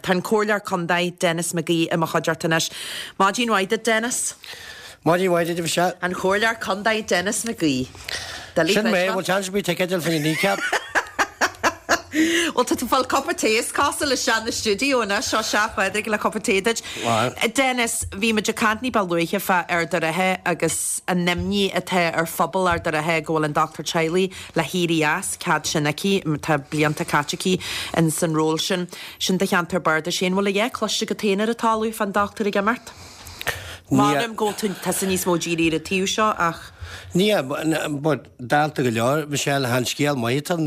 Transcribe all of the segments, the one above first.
Tá an Comhairleoir Contae, Denis McGee i mo chuideachta anois. Maidin mhaith duit, Denis. Maidin mhaith duit, a Mhichelle. An Comhairleoir Contae, Denis McGee. Doiligh Sin mé, bhfuil seans ar bith ticéad a fháil fá choinne Kneecap? Bhuel, tá tú ag fáil cupa tae is cosúil isteach na stiúideo anois, seo sea, a Phádraig, le cupa tae duit. Denis, bhí muid ag caint ní ba luaithe fá Ard a' Rátha agus an imní atá ar phobal Ard a' Rátha go bhfuil an dochtúir teaghlaigh le héirí as, cead sin aici, tá blianta caite aici in san ról sin. Sin do cheantar bardais féin. Bhfuil a dhath cloiste agat féin ar an talamh fán dochtúir ag imeacht? M'anam go bhfuil tú, tusa níos mó dírithe ar an taobh seo ach. Ní, but dálta go leor, Michelle, chan scéal maith atá ann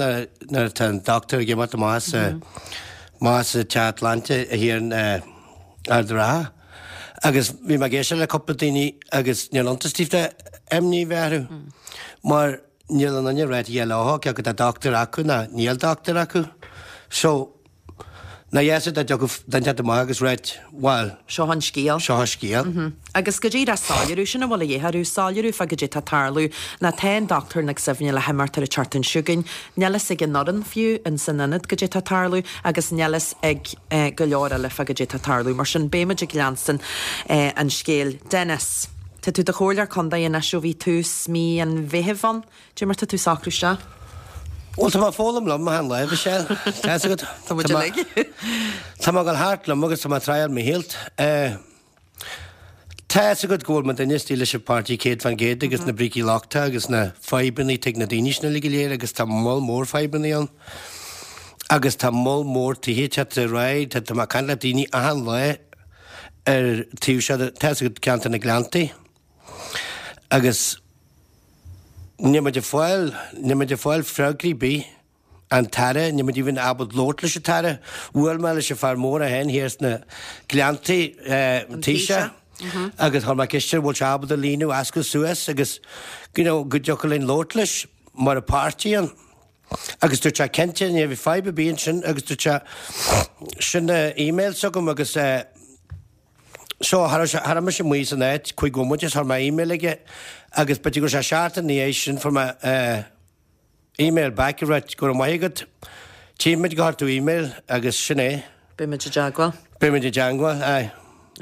nuair atá an dochtúir ag imeacht amach as amach as an teach sláinte thiar in Ard a' Rátha. Agus bhí mé ag éisteacht le cúpla daoine agus níl iontas daofa imní a bheith orthu mar níl aon duine ag ráit a dhath leo cé acu tá dochtúir acu ná níl dochtúir acu. So, Ná dheas dá dtiocfadh duine inteacht amach agus ráit, bhuel. Seo an scéal. Seo an scéal. Agus go díreach soiléiriú, sin a bhfuil a dhíth orthu, soiléiriú fá goidé tá ag tarlú. Ná tá an Dochtúir Nic Suibhne le himeacht ar an tseachtain seo chugainn. Níl fhios ag an fhoireann fiú in san ionad goidé tá ag tarlú agus níl fhios ag go leor eile fá goidé tá ag tarlú. Mar sin beidh muid ag leanstan an scéil. Denis, tá tú i do chomhairleoir contae anois ó bhí tús mí an Mheithimh ann. Cad é mar tá tú ag socrú isteach? Bhuel, tá mé ag foghlaim liom achan lá, Michelle. Tá fhios agat. Tá muid uilig. Tá mé ag dul thart liom agus tá mé ag triáil mo shaoilt. Tá fhios agat go bhfuil mo duine istigh leis an páirtí 100% agus na brící lochtacha agus na fadhbanna atá ag na daoine sin uilig go léir agus tá moll mór fadhbanna ann. Agus tá moll mór tithe ag teacht ar aghaidh, tá mé ag caint le daoine achan lá ar taobh seo, tá fhios agat ceantar na Gleanntaí. Agus níl muid ag fáil, níl muid ag fáil freagraí ar bith ón tAire, níl muid even ábalta labhairt leis an tAire. Bhuail mé leis an fear mór é féin thiar sna Gleanntaí, an Taoiseach, agus chuir mé ceist air an bhfuil sé ábalta líonadh ascaill suas agus you know go dtiocfadh linn labhairt leis mar an páirtí ann. Agus dúirt sé cinnte, ní bheidh fadhb ar bith ansin agus dúirt sé sin email s'agam agus eh, So, cha raibh sé, cha raibh mise amuigh san áit cúig bhomaite is chuir mé email aige agus b'fhéidir go raibh sé seachtain ina dhiaidh sin fuair mé eh email back ag ráit go raibh maith agat, tchífimid gur chuir tú email agus sin é. Beidh muid i dteagmháil. Beidh muid i dteagmháil, aye.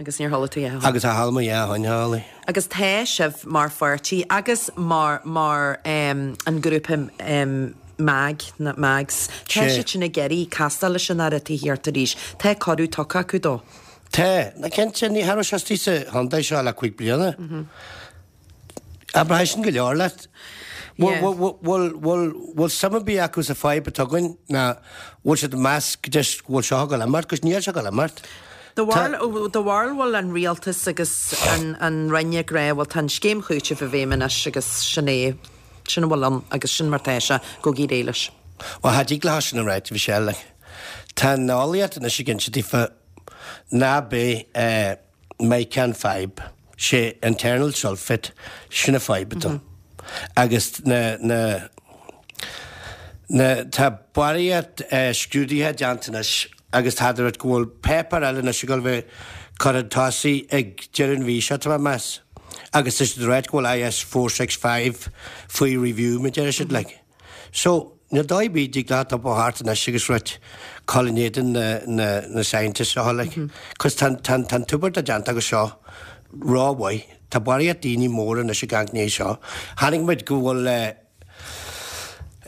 Agus níor chuala tú a dhath ó shin. Agus cha chuala mé a dhath ó shin, cha chuala. Agus tá sibh mar pháirtí agus mar, mar em an grúpa em MAG, na MAGs, tá siad sin ag iarraidh castáil leis an Aire Tithíochta arís. Tá cuireadh tugtha acu dó. Tá, ná cinnte, ní cha raibh sé istigh sa chontae seo le 5 bliana. Abraidh sin go leor leat. Bhfuil, bhfuil, bhfuil suim ar bith acu sa fadhb atá againn ná bhfuil siad ag meas go deis go bhfuil seo ag dul imeacht, 'cause níl seo ag dul imeacht. Do bharúil, do bharúil bhfuil an rialtas agus an, an Roinn ag rá, bhuel tá an scéim chúitimh i bhfeidhm anois agus sin é, sin a bhfuil ann agus sin mar tá sé, gabhaigí ar aghaidh leis. Bhuel, cha dtig leo sin a ráit, Michelle, like. Tá an eolaíocht anois ag inse daofa ná beidh mica an fadhb, sé internal sulphate, sin an fadhb atá ann. Agus na, na, na, tá barraíocht scrúduithe déanta anois agus tá rud go bhfuil páipéar eile anois ag dul bheith curtha chun tosaigh ag deireadh an mhí seo, tá mé ag meas. Agus tá siad ag ráit go bhfuil IS 465 faoi review, mar a deir siad, like. So, níl dóigh ar bith dtig leat iompó thart anois agus ráit cur in éadan na, na, na scientists seo like. Cos tá, tá, tá an t-obair atá déanta acu seo rómhaith. Tá barraíocht daoine móra anois ag amharc i ndiaidh seo. Chonaic muid go bhfuil eh,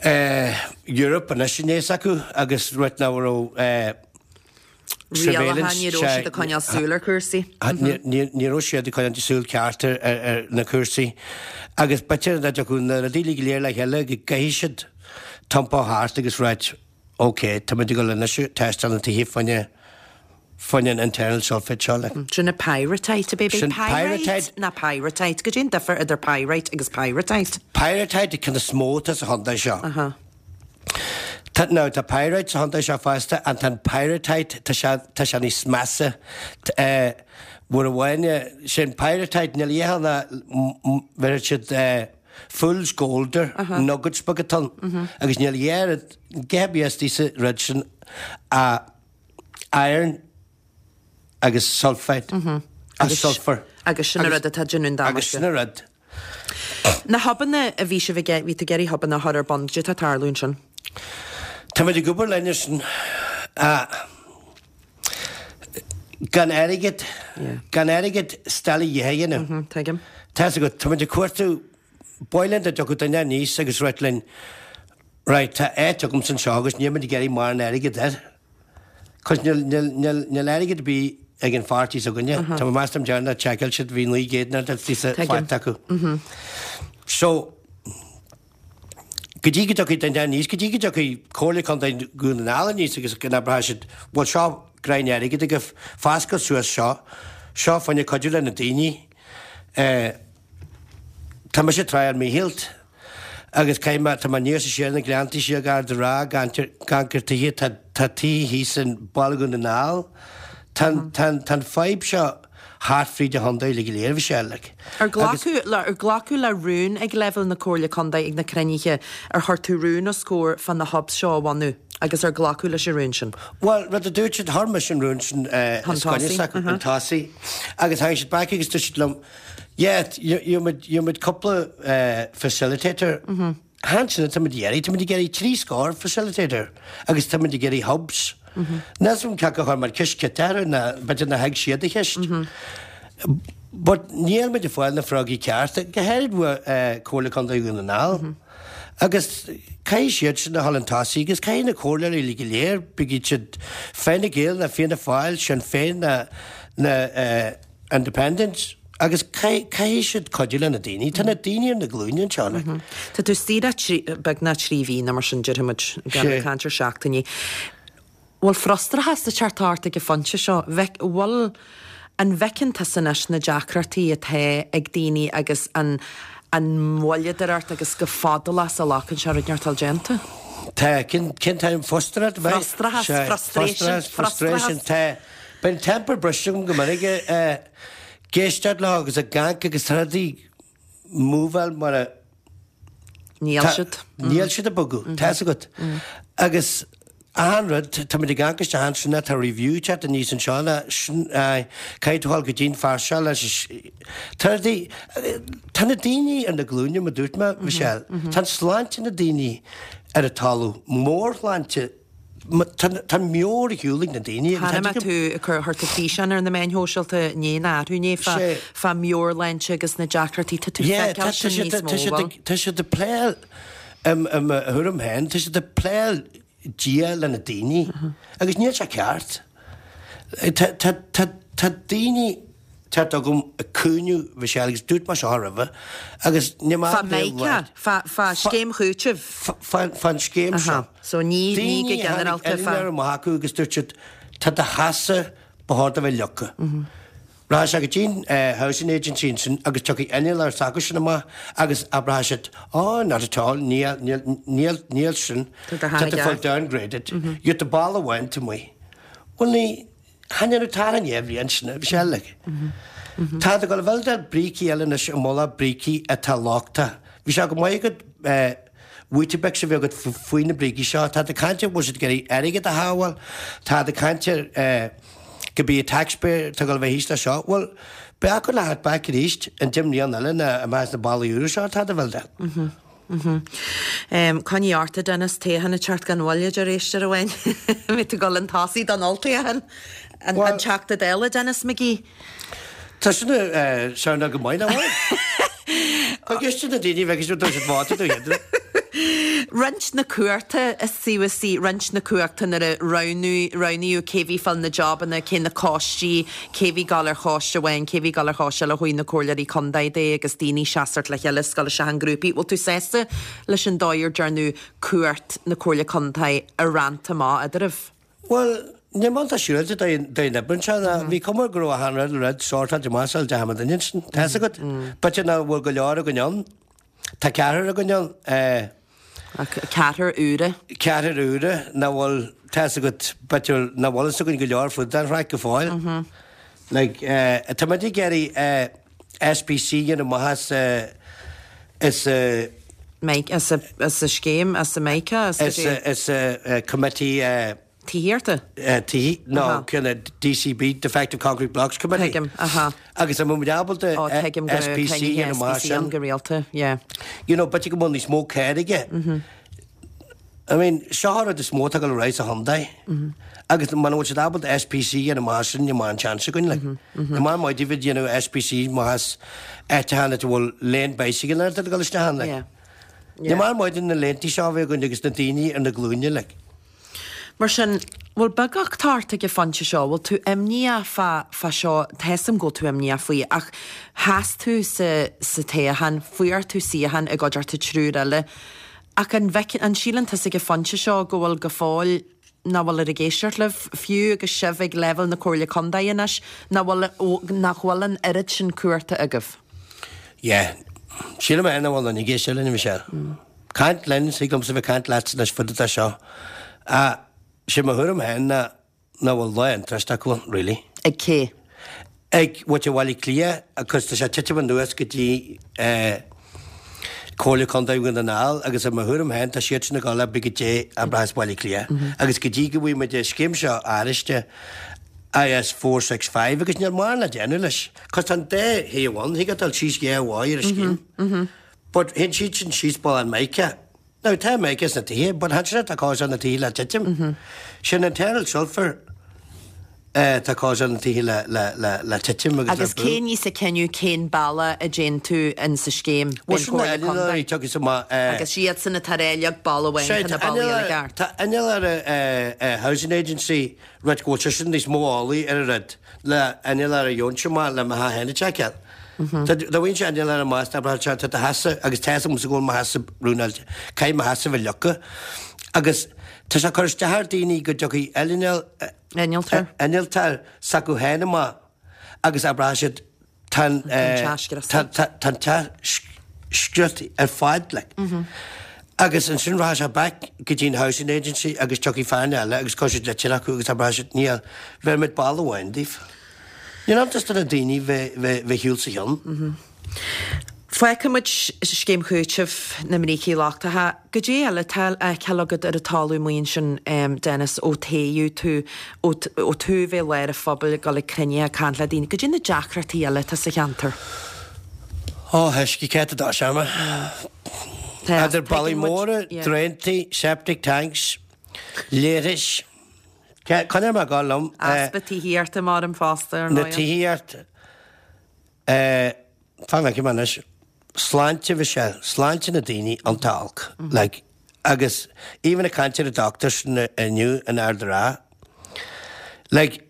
eh, Europe anois i ndiaidh s'acu agus ráit nach raibh eh, Rialacha, ní raibh siad ag coinneáil súil ar chúrsaí. Ní raibh siad ag coinneáil súil ceart ar na cúrsaí. Agus b'fhéidir dá dtiocfadh na rudaí uilig go léir le chéile go gcaithfidh siad iompó thart agus ráit ok, tá muid ag dul anois ag tástáil na tithe fá choinne fá choinne an internal sulphate seo like. Sin an pyrrhotite, a baby. Sin pyrrhotite ná pyrite. Goidé an difear idir pyrite agus pyrrhotite? Pyrrhotite an ceann is mó atá sa chontae seo. Aha. Tá, now, tá pyrite sa chontae seo fosta, and tá an pyrrhotite, tá sé, tá sé níos measa. Eh, uair amháin, eh, sin pyrrhotite, níl a dhath ná, bheireann siad, eh, fool's gold air, nuggets beaga atá ann, agus níl a dhath, a dhath ar bith istigh sa rud sin, ach iron agus sulphate, agus sulphur. Agus sin an rud atá ag déanamh an damáiste. Agus sin an rud. Na hubanna a bhí sibh ag, bhí tú ag iarraidh hubanna a chur ar bun, cad é atá ag tarlú ansin? Táimid ag obair linn ar sin. Gan airgead, gan airgead stail a dhéanamh. Tuigim. Tá's agat, tá muid ag cuartú, b'áil linn dá dtiocfadh duine aníos agus ráit linn, right, tá áit agamsa anseo agus níl muid ag iarraidh mórán airgead air. Cos níl, níl, níl, níl airgead ar bith ag an pháirtí s'againne. Tá mé meas dom deireanach tseiceáil siad bhí 900 nó faighte acu. So, Go dtí go dtiocfaidh duine aníos, go dtí go dtiocfaidh Comhairle Contae Dhún na nGall aníos agus go n-abróidh siad, bhuel seo greim airgid agaibh, foscail suas seo, seo fá choinne cuidiú le na daoine. Tá mise ag tráth ar mo shaol agus caithfidh mé, tá mé aníos is siar na gleanntaí siar gar do Ráth, gan gur tithe, tá tithe thíos in Baile Dhún na nGall. Tá an fadhb seo thart fríd an chontae uilig go léir, bhí sé like. Ar glacadh le, ar glacadh le rún ag leibhéal na Comhairle Contae ag na cruinnithe, ar chuir tú rún os comhair fá na hubs seo a bhunú agus ar glacadh leis an rún sin? Bhuel, rud a dúirt siad, chuir mise an rún sin Chun os coinne tosaigh, s'acu, chun tosaigh, agus tháinig siad back agus dúirt siad liom, yeah, gheobhaimid, gheobhaimid cúpla facilitator, Chan sin atá muid ag iarraidh, tá muid ag iarraidh 3 scór facilitator agus tá muid ag iarraidh hubs. Níl 'fhios agam cé acu a chuir muid ceist ciotach orthu nó b'fhéidir nár thuig siad an cheist. But níl muid ag fáil na freagraí cearta, go háirid uaidh Comhairle Contae Dhún na nGall. Agus caithfidh siad sin a dhul chun tosaigh agus caithfidh na comhairleoirí uilig go léir, bíodh siad Fine Gael nó Fianna Fáil, Sinn Féin nó na Independents agus caithfidh siad cuidiú le na daoine. Tá na daoine ar na glúine anseo like. Tá tú istigh le trí, beagnach 3 mhí nó mar sin déarfaidh muid, gan ag caint ar seachtainí. Bhfuil frustrachas ag teacht ort ag an phointe seo? Bhfuil, an bhfeiceann tusa anois na deacrachtaí atá ag daoine agus an an mhoilleadóireacht agus go fadálach is a ghlacann sé rud inteacht a fháil déanta? Tá, cén cén t-ainm frustrachas? Frustrachas, frustration, frustration, tá. Bíonn temper briste agam go minic ag éisteacht leo agus ag amharc agus tá rudaí múbháil mar a Níl siad. Níl siad ag bogadh, tá 'fhios agat. Agus achan rud, tá muid ag amharc isteach ansin tá review teacht aníos anseo le sin caithfidh tú dhul go dtí an fear seo leis tá rudaí tá na daoine ar na glúine mar dúirt mé, Michelle, tá an sláinte na daoine ar an talamh, mórshláinte Tá an meabhair ar shiúl ag na daoine agus tá tú ag cur chuir tú físeán ar na meáin shóisialta inné nó arú inné fá fá meabhairshláinte agus na deacrachtaí tá tú ag feiceáil sin níos mó bhfuil? Tá siad ag pléáil i mo thuairim féin, tá siad ag pléáil Dia le na daoine agus níl sé ceart. Tá daoine Teacht agam ag caoineadh Mhichelle agus dúirt mé seo roimhe agus níl mé Fá Micah, fá, fá scéim chúitimh. Fá, fán scéim seo. Aha, so ní, ní go Daoine a tháinig ginearálta fá. eile amach acu agus dúirt siad tá do theasa ba chóir do bheith leagtha. Rachaidh sé go dtí an housing agency ansin agus tiocfaidh innealtóir s'acu sin amach agus abróidh siad oh not at all níl, níl, níl, níl sin, Tá do tá theach tú i fáil gceart. downgraded, gheobhaidh tú balla amháin taobh amuigh. Bhuel ní, Chan fhéadfadh tar an bhliain sin, bhí sé like. Tá tú ag dul a bhuildeáil brící eile anois i mullach brící atá lochtach. Bhí sé go maith agat Weetabix a bhí agat faoi na brící seo. Tá tú ag caint ar bhfuil siad ag iarraidh airgead a shábháil. Tá tú ag caint ar go bí an taxpayer atá ag dul a bheith thíos leis seo. Bhuel, beidh acu le theacht back arís in 10 mbliana eile ná amach as na ballaí úra seo atá tú a bhuildeáil. Coinnigh ort, a Dennis, toghchán ag teacht gan mhoill, a deir éisteoir amháin. An mbeidh tú ag dul chun tosaigh don olltoghchán? An Teachta Dála Denis McGee? Tá sin ag soundáil go maith, nach bhfuil? Tá ceist na daoine bheidh siad dúirt siad vóta do iad. Roinnt na cumhachta is suntasaí, roinnt na cumhachta nuair a roghnaíodh cé bhí ag fáil na jabanna, cé na coistí, cé bhí ag gabháil ar choiste amháin, cé bhí ag gabháil ar choiste eile, ó thaobh na comhairleoirí contae de agus daoine seasamh le chéile is dul isteach i ngrúpaí. Bhfuil tú sásta leis an dóigh ar dearnadh cumhacht na comhairle contae a roinnt amach eadraibh? Bhuel, níl mé iontach siúráilte den obair anseo ná bhí cuma go raibh achan rud rud sórtáilte amach sula dteachaigh muid ansin. Tá 'fhios agat. B'fhéidir nach bhfuil go leor againn ann. Tá ceathrar againn ann. Ceathrar úra. Ceathrar úra nach bhfuil, tá 'fhios agat, b'fhéidir nach bhfuil fhios againn go leor fud an chraic go fóill. Like, tá muid ag iarraidh SPC a dhéanamh amach as, as. Mike, as a, as a scéim, as a Micah, as a. As a committee. Tithíochta? Tithí, nó ceann DCB, Defective Concrete Blocks Committee. Tuigim, aha. Agus an bhfuil muid ábalta Ó, tuigim go raibh SPC a cruinnithe dhéanamh amach SPC ann sin. go rialta, yeah. You know, b'fhéidir go bhfuil níos mó céir aige. I mean, seo an rud is mó atá ag dul ar aghaidh sa chontae. Agus muna bhfuil siad ábalta SPC a dhéanamh amach as sin, níl mórán chance againn, like. Níl mórán maith daoibh ag déanamh SPC amach as áiteacha ina bhfuil lane bicycle atá ag dul isteach ann, like. Níl mórán maith de na laontaí seo a bheith againn agus na daoine ar na glúine, like. Mar sin, bhfuil beagacht ort ag an phointe seo, bhfuil tú imníoch fá, fá seo, tá 'fhios a'm go bhfuil tú imníoch faoi, ach sheas tú sa, sa toghchán, fuair tú suíochán i gcuideachta triúr eile, ach an bhfeiceann, an síleann tusa ag an phointe seo go bhfuil go fóill, nach bhfuil ag éisteacht libh, fiú agus sibh ag leibhéal na Comhairle Contae anois, nach bhfuil, nach bhfuil an oiread sin cumhachta agaibh? Yeah. Sílim é nach bhfuil duine ag éisteacht linn, Michelle. Caint linn, thig liomsa bheith ag caint leatsa anois fud fada seo. Ach sé mo thuairim féin ná nach bhfuil lá interest acu ann, really. Ag cé? Ag muintir Bhaile Átha Cliath, agus tá sé ag titim anuas go dtí Comhairle Contae Dhún na nGall agus i mo thuairim féin tá siad sin ag dul oibre go dté oibreachas Bhaile Átha Cliath. Agus go dtí go bhfaighidh muid an scéim seo áiriste, IS 465, agus níl mórán le déanamh leis. Cos tá an dá thaobh ann, thig leat dul síos dhá mhaith ar an scéim. But théann siad sin síos bealach an mica. Now tá mica sna tithe, but chan sin atá causeáil na tithe le titim. Sin internal sulphur atá causeáil na tithe le, le, le, le titim agus le Agus brú. cé níos ag cinneadh cén bealach a dtéann tú in sa scéim? Bhuel sin na innealóirí tiocfaidh amach eh. Agus iadsan atá ag rá leag balla amháin Sea, tá na tá ballaí eile innealóir, ceart. tá innealóir eh, eh, housing agency rud go bhfuil seisean níos mó eolaí ar an rud le innealóir a gheobhainnse amach le mo theach féin a tseiceáil. Dá bhfaighinn innealóir amach is abraitheadh sé tá do theachsa agus tá a fhios agamsa go bhfuil mo theachsa ruineáilte, caithfidh mo theachsa bheith leagtha. Agus tá sé ag cur isteach ar daoine go dtiocfaidh Innealtóir. innealtóir s'acu féin amach agus abraitheadh siad Tá an tá an teach scriosta ar fad like. Agus ansin rachaidh sé back go dtí an housing agency agus tiocfaidh fear eile agus cuirfidh siad litir acu agus abraithfidh siad níl, bheir muid balla amháin daoibh. Níl ann just do na daoine bheith bheith shiúl sa cheann. Fágfaidh muid scéim chúitimh na mbrící lochtacha. Goidé eile atá le feiceáil agat ar an talamh amuigh ansin, Dennis, ó toghadh tú, ó tú a bheith i lár an phobail, ag dul ag cruinnithe, ag caint le daoine, goidé na deacrachtaí eile atá sa cheantar? Ó, uisce, cé atá seama? Idir ballaí móra, draentaí, septic tanks, leithris, coinneoidh mé ag dul liom. Easpa tithíochta mar an fosta, ar ndóigh. Na tithíocht. Eh, fan go bhfeicfidh mé anois. Sláinte, Michelle, sláinte na daoine iontach olc. Like, agus even ag caint ar an doctors inniu in Ard an Rátha, like,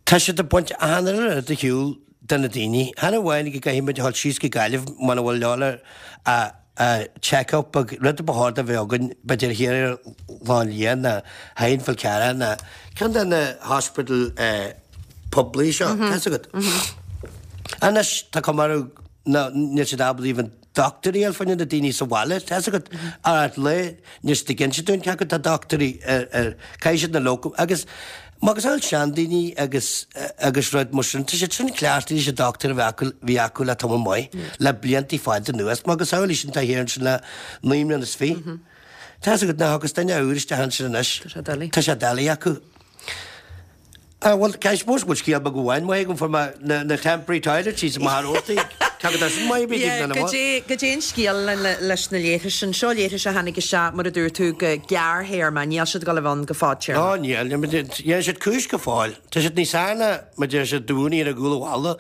tá siad ag baint achan uile rud ar shiúl de na daoine. Chan amháin go gcaithfidh muid a dhul síos go Gaillimh muna bhfuil leor a check up ag rud a ba chóir do bheith againn b'fhéidir thiar ar Ghleann Liath ná Thine Fhál Carrach ná ceann de na hospital poiblí seo, tá 'fhios agat. Anois tá cuma orthu ná níl siad ábalta even dochtúirí a fháil fá choinne na daoine sa bhaile, tá 'fhios agat, ar ait lae níl siad ag inse dúinn cé acu tá dochtúirí ar ar caithfidh siad na locum agus macasamhail seandaoine agus agus rud mar sin, tá siad sin cleachtaithe leis an dochtúir a bheith acu, bhí acu le tamall maith, le bliantaí fada anuas, macasamhail í sin atá thiar ansin le 29 mbliana. Tá 'fhios agat nach agus duine úr isteach ansin anois. Tá sé doiligh. Tá sé doiligh acu. Ah, bhuel, I suppose go bhfuil scéal beag amháin maith agam, fuair mé na, na temporary toilets síos i Machaire Rabhartaigh. Cé go dtá sin maith a bhí Yeah, daoibh, goidé, goidé an scéal le, le, leis na leithris sin. Seo leithris a tháinig isteach, mar a dúirt tú, go gearrthéarma, níl siad ag dul a bheith ann go fadtéarma. Ó, níl, níl, dhéanann siad cúis go fóill. Tá siad níos fearr ná mar deir siad dúinne ar an gcúl an bhalla.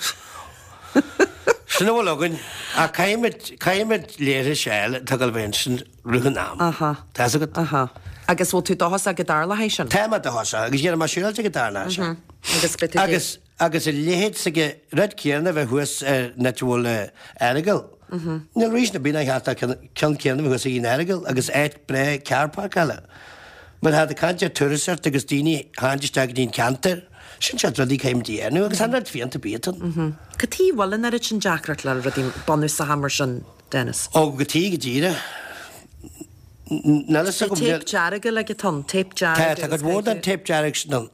Sin a bhfuil againn. Ach caithfimid, caithfimid leithris a fháil atá ag dul a bheith ansin. rith an am. Aha. Tá 'fhios agat? Aha. Agus bhfuil tú dóchasach go dtarlóidh sin? Tá mé dóchasach, agus dhéanfaidh mé siúráilte go dtarlóidh sé. Agus beidh tú ag. Agus, agus a leithéid s'aige, rud céanna a bheith thuas ar an áit a bhfuil Earagail. Níl reason ar bith nár cheart an ceann céanna a bheith thuas ag an Earagail agus áit breá carr páirceála. Mar tá ag caint ar turasóireacht agus daoine a tháinig isteach go dtí an ceantar, sin seort rudaí caithfimid a dhéanamh agus an rud fiánta bíodh ann. Cad chuige a bhfuil an oiread sin deacracht le rudaí bunúsacha mar sin? Dennis. Ó, cad chuige go díreach. Níl a fhios agam. Téip dearg uilig atá ann, téip dearg. Tá, tá cuid mhór den téip dearg sin ann.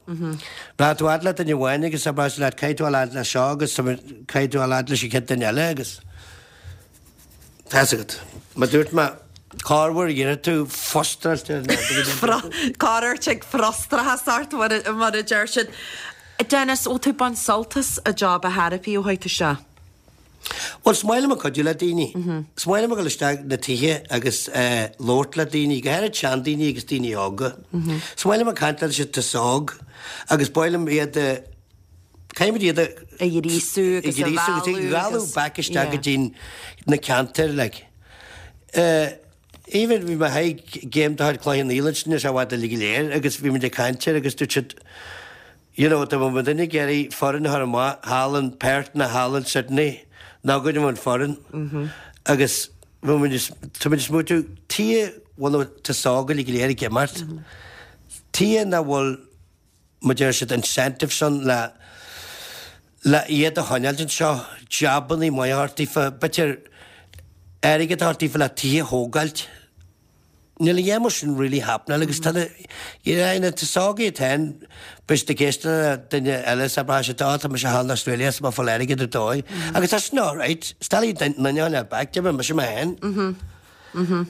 Rachaidh tú fhad le duine amháin agus abróidh sé leat caithfidh tú a fhad le seo agus caithfidh tú a fhad leis an chéad duine eile agus tá 'fhios agat. Mar dúirt mé, corruair iarrfaidh tú frustrachta Corruair tig frustrachas ort mar a deir siad. Dennis, bhfuil tú ag baint sult as an job a therapy ó tháinig tú isteach? Bhuel, is maith liom ag cuidiú le daoine. Is maith liom a dhul isteach na tithe agus labhairt le daoine, go háirid seandaoine agus daoine óga. Is maith liom ag caint le siad atá óg agus ba mhaith liom iad a, caithfimid iad a. A ghríosú agus a mhealladh agus. A mhealladh back isteach go dtí na ceantair like. Even bhí mé ag game de chuid Chloich Cheann Fhaola ansin níl sé i bhfad uilig go léir agus bhí muid ag caint air agus dúirt siad You know, dá mbeadh muid ag iarraidh foireann a chur amach thall in Perth nó thall in Sydney, ná go dtí an foireann. Agus bhí muid, tá muid ag smaointiú, tuige a bhfuil an t-aos óg uilig go léir ag imeacht? Tuige nach bhfuil, mar deir siad, incentives ann le, le iad a choinneáilt anseo, jabannaí maithe a thabhairt daofa, b'fhéidir airgead a thabhairt daofa le tithe a thógáilt. Níl a dhath mar sin really happening agus tá na, you know, na t-aos óg iad féin, beidh siad ag éisteacht le duine eile is abraidh siad, oh tá mise thall in Australia is má fáil airgead ar dóigh. Agus tá sin alright, is doiligh duine a choinneáil back, d'imir mise mé féin.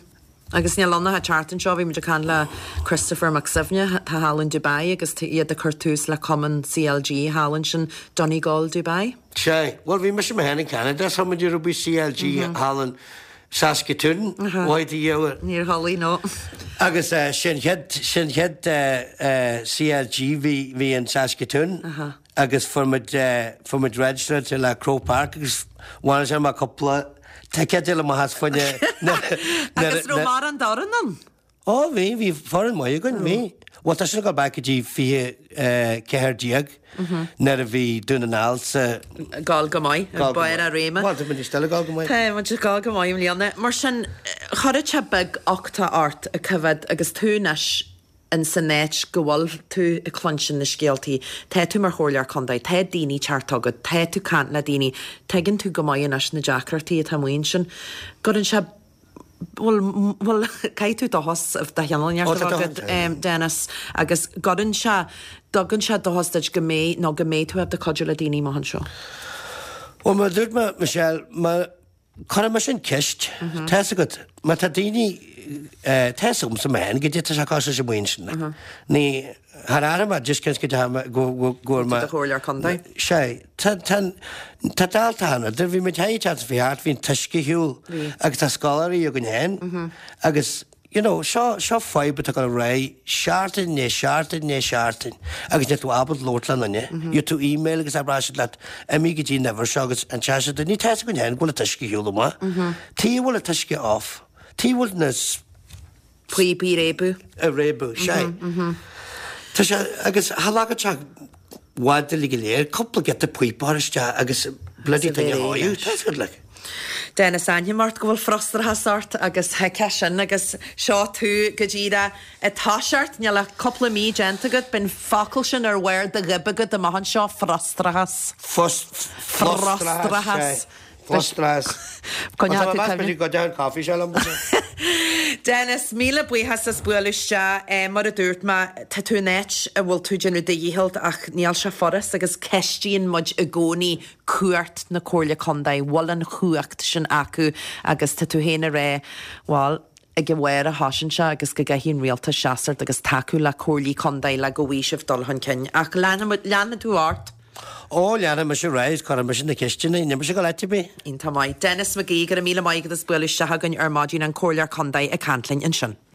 Agus níl ann ach an tseachtain seo, bhí muid ag caint le Christopher Mac Suibhne, atá thall in Dubai agus tá iad ag cur tús le cumann CLG thall ansin, Donegal Dubai. Sea, bhuel bhí mise mé féin in Canada, so muid ag rugbaí CLG thall in Saskatoon, mhaith do dhiabhal. Níor chodlaigh, no. Agus sin chéad, sin chéad CLG bhí, bhí in Saskatoon agus fuair muid, fuair muid registered le Croke Park agus bhain sé amach cúpla ticéad eile amach as fá choinne Agus raibh mórán d'fhoireann ann? Ó bhí, bhí foireann maith againn, bhí. Bhuel tá sin ag dul back go dtí 20 14 nuair a bhí Dún na nGall sa. Ag gabháil go maith, ag barr a réime. Bhuel tá muid still ag gabháil go maith. Tá muid ag gabháil go maith i mbliana. Mar sin, chuirfeadh sé beag-uchtach ort a choimhéad agus tú anois in san áit go bhfuil tú ag cluinstin na scéaltaí, tá tú mar chomhairleoir contae, tá daoine ag teacht chugat, tá tú caint le daoine, tuigeann tú go maith anois na deacrachtaí atá amuigh ansin. Gcuireann sé Bhuel, bhuel, caithfidh tú dóchas de chineál inteacht a bheith agat, Dennis, agus gcuireann sé, dtugann sé dóchas duit go mbeidh, nó go mbeidh tú ábalta cuidiú le daoine amach anseo. Bhuel, mar a dúirt mé, Michelle, má, cuirfidh mise an ceist, tá fhios agat, má tá daoine, tá fhios agamsa mé féin, goidé tá sé cosúil leis an mbuíon sin, ní, Thar aire mar just cionn go dtearn go go bhfuair mé. Do chomhairleoir contae. Sea, tá tá tá dalta cheana. Do bhí muid thigh teacht faoi thart, bhí an t-uisce ar shiúl agus tá scoláirí againn féin agus you know seo seo fadhb atá ag dul ar aghaidh seachtain i ndiaidh seachtain i ndiaidh seachtain agus níl tú ábalta labhairt le duine. Gheobhaidh tú email agus abróidh siad leat imigh go dtí an uimhir seo agus an teas siad ní tá fhios againn féin go bhfuil an t-uisce ar shiúl amach. Tuige a bhfuil an t-uisce off. Tuige a bhfuil na Píopaí ag réabadh. Ag réabadh, sea. Tá sé, agus cha leagfadh sé i bhfad uilig go léir, cúpla giota píopa a chur isteach agus bloody thing a sháigh, tá fhios agat like. Dennis, aithním ort go bhfuil frustrachas ort agus thuigfeá sin agus seo tú go díreach ag toiseacht, níl ach cúpla mí déanta agat, beidh an focal sin ar bharr do ghoib agat amach anseo, frustrachas. Frustrachas, sea. Frustrachas. Coinneoidh tú cuimhne. Go dtéann coffee seo liom. Dennis, míle buíochas as bualadh isteach. Mar a dúirt mé, tá tú in áit a bhfuil tú ag déanamh do dhícheall ach níl sé furast agus ceistíonn muid i gcónaí cumhacht na Comhairle Contae, bhfuil an chumhacht sin acu agus tá tú féin ag rá, bhuel, ag an bharr a thosaíonn sé agus go gcaithfidh an rialtas seasamh agus tacú le comhairlí contae le go bhfaighidh sibh dul chun cinn. Ach leanfaidh tú ort. Ó, leanfaidh mise ar aghaidh is cuirfidh mise na ceisteanna, níl mise ag dul áit ar bith. Iontach maith. Denis McGee, go raibh míle maith agat as bualadh isteach againn ar maidin, an Comhairleoir Contae ag caint linn ansin.